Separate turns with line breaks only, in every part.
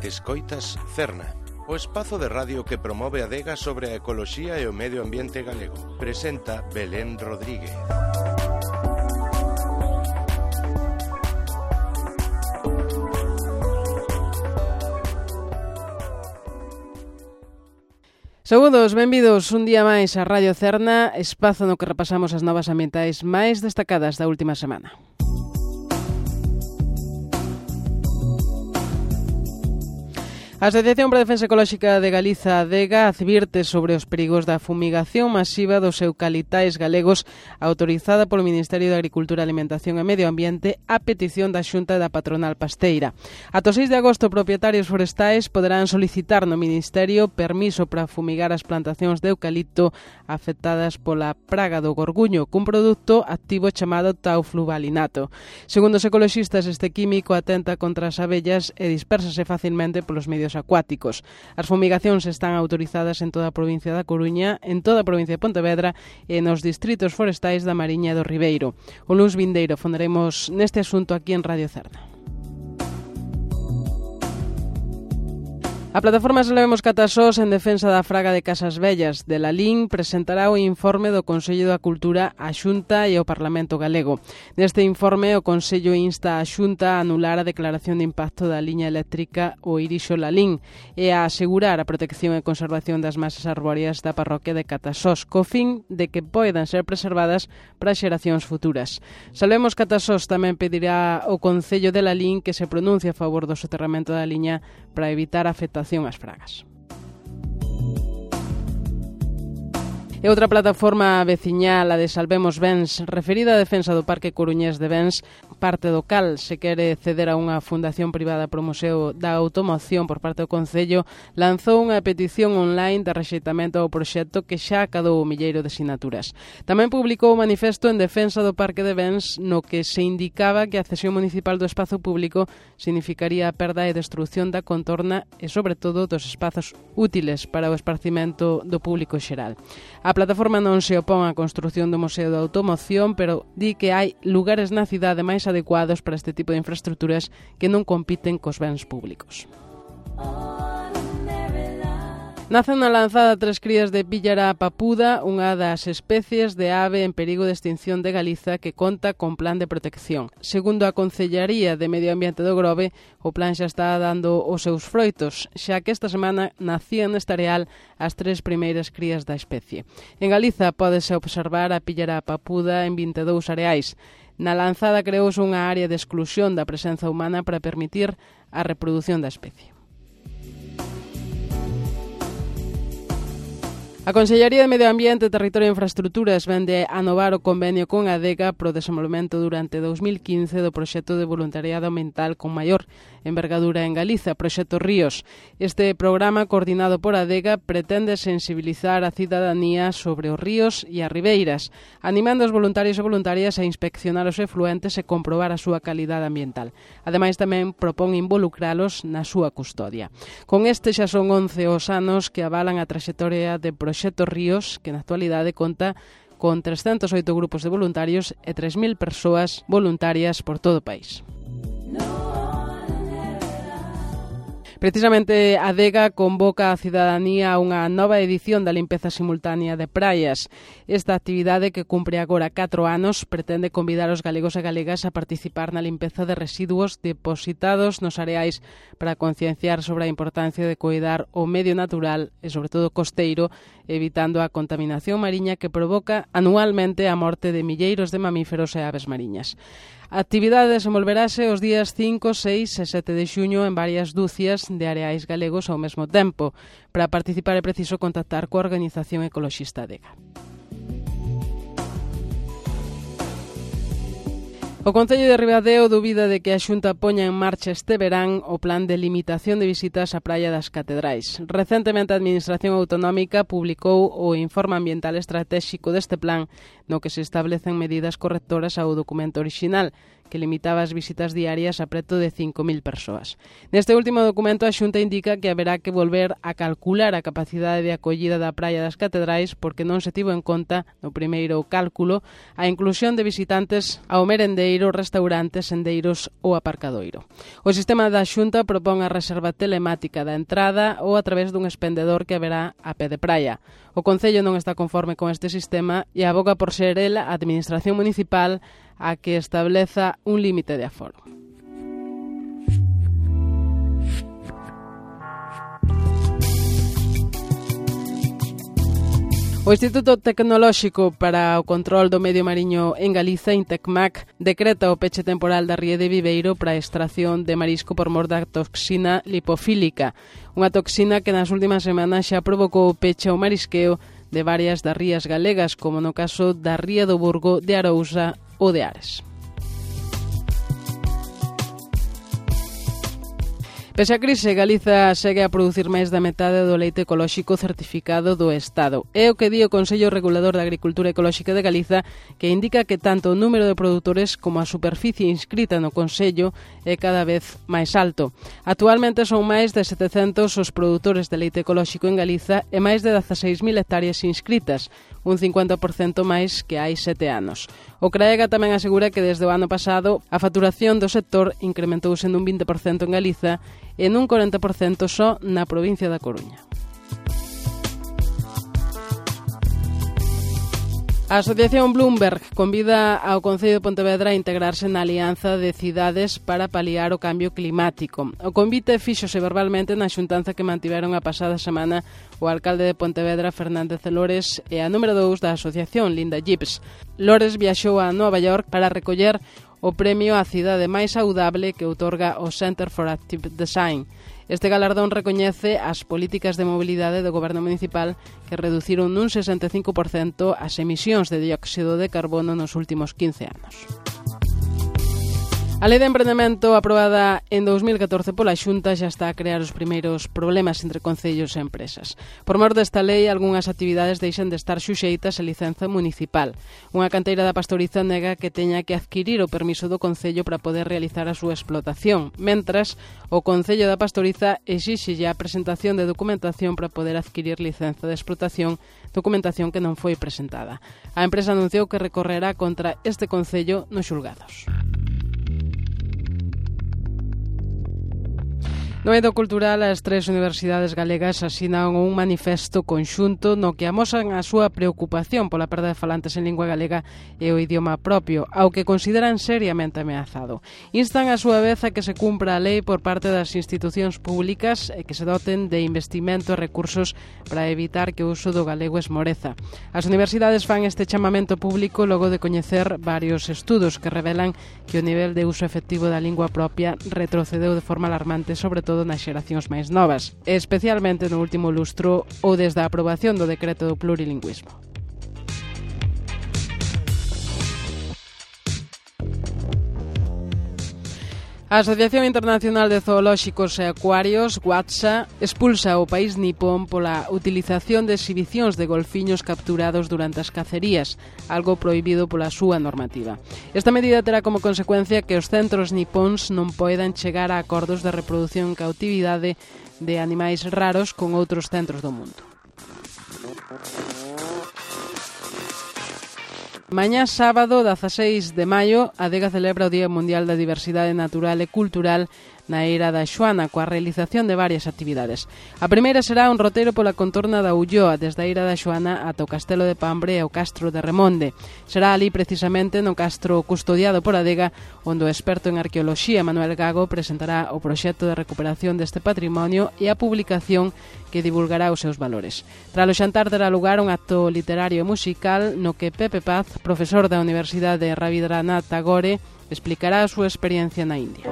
Escoitas Cerna, o espazo de radio que promove a adega sobre a ecoloxía e o medio ambiente galego. Presenta Belén Rodríguez.
Saúdos, benvidos un día máis a Radio Cerna, espazo no que repasamos as novas ambientais máis destacadas da última semana. A Asociación para a Defensa Ecolóxica de Galiza, ADEGA, advirte sobre os perigos da fumigación masiva dos eucaliptais galegos autorizada polo Ministerio de Agricultura, Alimentación e Medio Ambiente a petición da Xunta da Patronal Pasteira. Ata o 6 de agosto, propietarios forestais poderán solicitar no Ministerio permiso para fumigar as plantacións de eucalipto afectadas pola praga do gorguño, cun produto activo chamado taufluvalinato. Segundo os ecoloxistas, este químico atenta contra as abellas e dispérsase facilmente polos medios acuáticos. As fumigacións están autorizadas en toda a provincia da Coruña, en toda a provincia de Pontevedra e nos distritos forestais da Mariña e do Ribeiro. O luns vindeiro fonderemos neste asunto aquí en Radio Cerna. A plataforma Salvemos Catasós en defensa da fraga de Casas Vellas de Lalín presentará o informe do Consello da Cultura á Xunta e ao Parlamento Galego. Neste informe, o Consello insta a Xunta a anular a declaración de impacto da liña eléctrica o Irixo-Lalín e a asegurar a protección e conservación das masas arbóreas da parroquia de Catasós, co fin de que poidan ser preservadas para xeracións futuras. Salvemos Catasós tamén pedirá ao Concello de Lalín que se pronuncie a favor do soterramento da liña para evitar a afectación ás fragas. E outra plataforma veciñal, a de Salvemos Bens, referida á defensa do Parque Coruñés de Bens, parte do cal se quere ceder a unha fundación privada pro Museo da Automoción por parte do Concello, lanzou unha petición online de rexeitamento ao proxecto que xa acadou o milleiro de sinaturas. Tamén publicou un manifesto en defensa do Parque de Bens no que se indicaba que a cesión municipal do espazo público significaría a perda e destrucción da contorna e, sobre todo, dos espazos útiles para o esparcimento do público xeral. A plataforma non se opón á construción do Museo da Automoción, pero di que hai lugares na cidade máis adecuados para este tipo de infraestructuras que non compiten cos bens públicos. Nacen na lanzada 3 crías de píllara papuda, unha das especies de ave en perigo de extinción de Galiza que conta con plan de protección. Segundo a Concellaría de Medio Ambiente do Grove, o plan xa está dando os seus froitos, xa que esta semana nacían neste areal as 3 primeiras crías da especie. En Galiza pódese observar a píllara papuda en 22 areais. Na lanzada creouse unha área de exclusión da presenza humana para permitir a reprodución da especie. A Consellería de Medio Ambiente, Territorio e Infraestructuras vende anovar o convenio con ADEGA pro desenvolvemento durante 2015 do proxecto de voluntariado ambiental con maior envergadura en Galiza, Proxecto Ríos. Este programa, coordinado por ADEGA, pretende sensibilizar a cidadanía sobre os ríos e as ribeiras, animando os voluntarios e voluntarias a inspeccionar os efluentes e comprobar a súa calidade ambiental. Ademais, tamén propón involucralos na súa custodia. Con este xa son 11 os anos que avalan a traxectoria de Proxecto Ríos, que na actualidade conta con 308 grupos de voluntarios e 3.000 persoas voluntarias por todo o país. Precisamente, a ADEGA convoca a cidadanía a unha nova edición da limpeza simultánea de praias. Esta actividade, que cumpre agora 4 anos, pretende convidar os galegos e galegas a participar na limpeza de residuos depositados nos areais para concienciar sobre a importancia de coidar o medio natural e, sobre todo, costeiro, evitando a contaminación mariña que provoca anualmente a morte de milleiros de mamíferos e aves mariñas. A actividade desenvolverase os días 5, 6 e 7 de xuño en varias dúcias de areais galegos ao mesmo tempo. Para participar é preciso contactar coa organización ecoloxista ADEGA. O Concello de Ribadeo dubida de que a Xunta poña en marcha este verán o plan de limitación de visitas á Praia das Catedrais. Recentemente a Administración Autonómica publicou o Informe Ambiental Estratéxico deste plan, no que se establecen medidas correctoras ao documento orixinal, que limitaba as visitas diarias a preto de 5.000 persoas. Neste último documento a Xunta indica que haberá que volver a calcular a capacidade de acollida da Praia das Catedrais porque non se tivo en conta no primeiro cálculo a inclusión de visitantes ao merendeiro, restaurantes, sendeiros ou aparcadoiro. O sistema da Xunta propón a reserva telemática da entrada ou a través dun expendedor que haberá a pé de praia. O Concello non está conforme con este sistema e aboga por ser el a Administración Municipal a que estableza un límite de aforo. O Instituto Tecnolóxico para o Control do Medio Mariño en Galiza, Intecmac, decreta o peche temporal da ría de Viveiro para a extracción de marisco por mor da toxina lipofílica, unha toxina que nas últimas semanas xa provocou o peche ao marisqueo de varias das rías galegas, como no caso da ría do Burgo, de Arousa ou de Ares. Pese a crise, Galiza segue a producir máis da metade do leite ecolóxico certificado do Estado. É o que di o Consello Regulador da Agricultura Ecolóxica de Galiza, que indica que tanto o número de produtores como a superficie inscrita no Consello é cada vez máis alto. Actualmente son máis de 700 os produtores de leite ecolóxico en Galiza e máis de 16.000 hectáreas inscritas, un 50% máis que hai 7 anos. O CRAEGA tamén asegura que desde o ano pasado a facturación do sector incrementouse nun 20% en Galiza e nun 40% só na provincia da Coruña. A Asociación Bloomberg convida ao Concello de Pontevedra a integrarse na Alianza de Cidades para paliar o cambio climático. O convite fíxose verbalmente na xuntanza que mantiveron a pasada semana o alcalde de Pontevedra, Fernández de Lores, e a número 2 da asociación, Linda Gibbs. Lores viaxou a Nova York para recoller o premio á cidade máis saudable que outorga o Center for Active Design. Este galardón recoñece as políticas de mobilidade do goberno municipal que reduciron nun 65% as emisións de dióxido de carbono nos últimos 15 anos. A Lei de Emprendemento aprobada en 2014 pola Xunta xa está a crear os primeiros problemas entre concellos e empresas. Por mor desta lei, algunhas actividades deixan de estar xuxeitas a licenza municipal. Unha canteira da Pastoriza nega que teña que adquirir o permiso do Concello para poder realizar a súa explotación, mentras o Concello da Pastoriza exixe a presentación de documentación para poder adquirir licenza de explotación, documentación que non foi presentada. A empresa anunciou que recorrerá contra este Concello nos xulgados. No eido cultural, as 3 universidades galegas asinan un manifesto conxunto no que amosan a súa preocupación pola perda de falantes en lingua galega e o idioma propio, ao que consideran seriamente ameazado. Instan a súa vez a que se cumpra a lei por parte das institucións públicas e que se doten de investimento e recursos para evitar que o uso do galego esmoreza. As universidades fan este chamamento público logo de coñecer varios estudos que revelan que o nivel de uso efectivo da lingua propia retrocedeu de forma alarmante, sobre todo nas xeracións máis novas, especialmente no último lustro ou desde a aprobación do decreto do plurilingüismo. A Asociación Internacional de Zoolóxicos e Acuarios, WATSA, expulsa o país nipón pola utilización de exhibicións de golfiños capturados durante as cacerías, algo prohibido pola súa normativa. Esta medida terá como consecuencia que os centros nipóns non poidan chegar a acordos de reproducción en cautividade de animais raros con outros centros do mundo. Mañá sábado, 16 de maio, a Adega celebra o Día Mundial da Diversidade Natural e Cultural na Eira da Xoana, coa realización de varias actividades. A primeira será un roteiro pola contorna da Ulloa, desde a Eira da Xoana ata o Castelo de Pambre e o Castro de Remonde. Será ali precisamente no castro custodiado por a Adega, onde o experto en arqueoloxía Manuel Gago presentará o proxecto de recuperación deste patrimonio e a publicación que divulgará os seus valores. Tras o xantar terá lugar un acto literario e musical no que Pepe Paz, profesor da Universidade Rabindranath Tagore, explicará a súa experiencia na India.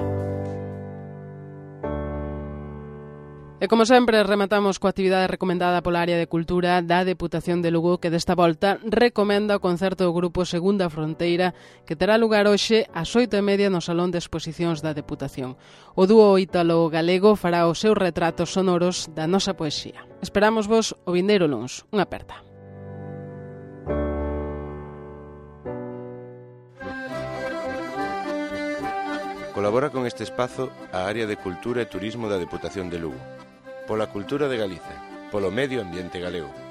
E como sempre, rematamos coa actividade recomendada pola área de cultura da Deputación de Lugo, que desta volta recomenda o concerto do grupo Segunda Fronteira, que terá lugar hoxe ás 8:30 no Salón de Exposicións da Deputación. O dúo ítalo-galego fará os seus retratos sonoros da nosa poesía. Esperamos vos o vindeiro luns. Unha aperta.
Colabora con este espazo a Área de Cultura e Turismo da Deputación de Lugo. Pola cultura de Galiza, polo medio ambiente galego.